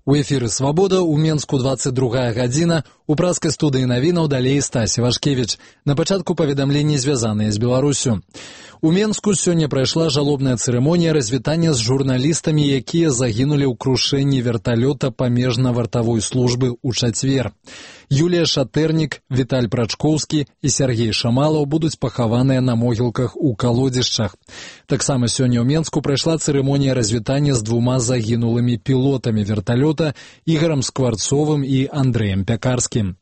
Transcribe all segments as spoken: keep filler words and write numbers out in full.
У эфіры «Свабода», у Менску двадцать другая гадзіна, у праскай студыі навінаў далей Стасі Вашкевіч. На пачатку паведамленні, звязаныя з Беларусю. У Менску сёння прайшла жалобная цырымонія развітання з журналістамі, якія загінулі ў крушэнні верталёта памежна-вартавой службы ў чацвер. Юлія Шатэрнік, Віталь Прачкоўскі і Сергей Шамалаў будуць пахаваныя на могілках у калодзішчах. Таксама сёння ў Менску прайшла цырымонія развітання з двума загінулымі пілотамі верталёта Ігорам Скварцовым і Андрэем Пякарскім.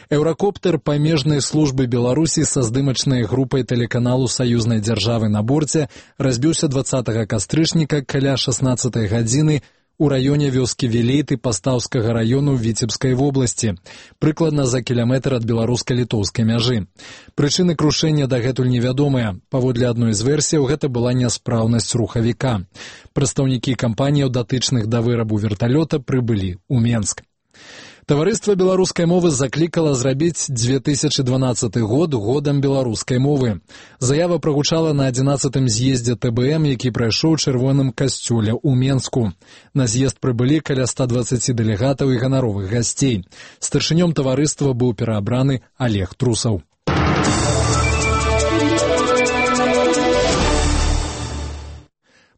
Еўракоптер памежнай службы Беларусі са здымачнай групай тэлеканалу саюзнай дзяржавы на борце разбіўся дваццатага кастрычніка каля шаснаццатай гадзіны у раёне вёскі Велейты Пастаўскага раёну Віцебскай вобласці, прыкладна за кіляметр ад беларуска-літоўскай мяжы. Прычыны крушэння дагэтуль невядомыя. Паводле адной з версіяў, гэта была няспраўнасць рухавіка. Прадстаўнікі кампаніяў, датычных да вырабу верталёта, прыбылі ў Менск. Таварыства беларускай мовы заклікала зрабіць две тысячы дванаццаты год годам беларускай мовы. Заява прагучала на адзінаццатым з'ездзе тэ бэ эм, які прайшоў у чырвоным касцёле ў Менску. На з'езд прыбылі каля ста дваццаці дэлегатаў і ганаровых гасцей. Старшынём таварыства быў пераабраны Олег Трусаў.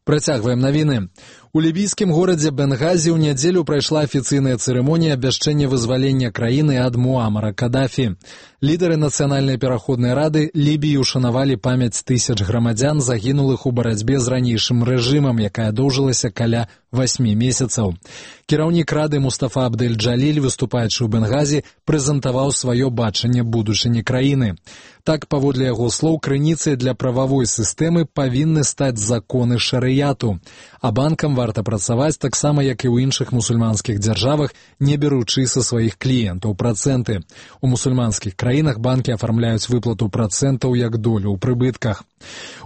Працягваем навіны. У лібійскім горадзе Бенгазі ў нядзелю прайшла афіцыйная цырымонія абвяшчэння вызвалення краіны ад Муамара Кадафі. Лідары нацыянальнай пераходнай рады Лібіі ушанавалі памяць тысяч грамадзян, загінулых у барацьбе з ранейшым рэжымам, якая доўжылася каля васьмі месяцаў. Кіраўнік рады Мустафа Абдэль-Джаліль, выступаючы ў Бенгазі, прэзентаваў сваё бачанне будучыні краіны. Так, паводле яго слоў, крыніцай для прававой сістэмы павінны стаць законы шарыяту, а банкам варта працаваць таксама, як і ў іншых мусульманскіх дзяржавах, не беручы са сваіх кліентаў працэнты. У мусульманскіх краінах банкі афармляюць выплату працэнтаў як долю ў прыбытках.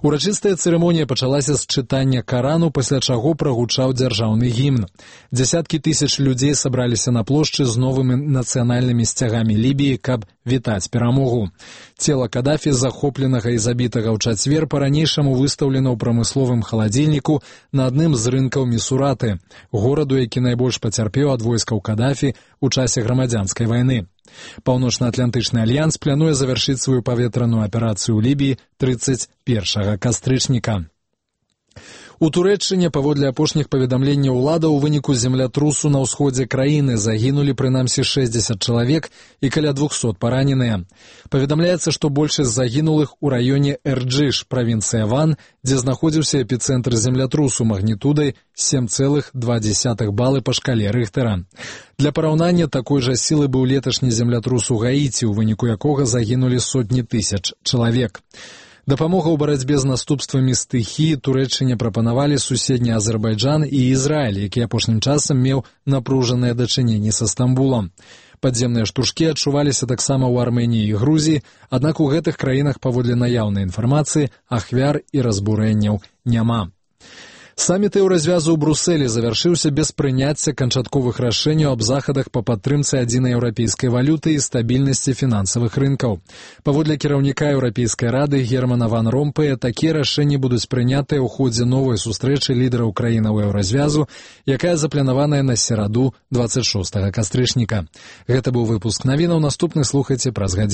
Урачыстая цырымонія пачалася з чытання Карану, пасля чаго прагучаў дзяржаўны гімн. Дзясяткі тысяч людзей сабраліся на плошчы з новымі нацыянальнымі сцягамі Лібіі, каб вітаць перамогу. Цела Кадафі, захопленага і забітага ў чацвер, па-ранейшаму выстаўлена ў прамысловым халадзільніку на адным з рынкаў Місураты, гораду, які найбольш пацярпеў ад войскаў Кадафі ў часе грамадзянскай вайны. Паўночна-атлантычны альянс плануе завяршыць сваю паветраную аперацыю ў Лібіі трыццаць першага кастрычніка. У Турэччыне, паводле апошніх паведамленняў улада, у выніку землятрусу на ўсходзе краіны загінулі прынамсі шэсцьдзесят чалавек і каля двухсот параненыя. Паведамляецца, што большасць загінулых у раёне Эрджыш, правінцыя Ван, дзе знаходзіўся эпіцэнтр землятрусу магнітудай сем цэлых два дзесятых балы па шкале Рыхтэра. Для параўнання, такой жа сілы быў леташні землятрус у Гаіці, у выніку якога загінулі сотні тысяч чалавек. Дапамога ў барацьбе з наступствамі стыхіі Турэччыне прапанавалі суседні Азербайджан і Ізраіль, які апошнім часам меў напружаныя дачыненні са Стамбулам. Падземныя штуршкі адчуваліся таксама ў Арменіі і Грузіі, аднак у гэтых краінах, паводле наяўнай інфармацыі, ахвяр і разбурэнняў няма. Саміт еўразвязу ў Брусэлі завяршыўся без прыняцця канчатковых рашэнняў аб захадах па падтрымцы адзінай еўрапейскай валюты і стабільнасці фінансавых рынкаў. Паводле кіраўніка Еўрапейскай рады Германа ван Ромпэя, такія рашэнні будуць прынятыя ў ходзе новай сустрэчы лідараў краінаў еўразвязу, якая запланаваная на сераду дваццаць шостага кастрычніка. Гэта быў выпуск навінаў, наступны слухайце праз гадзіну.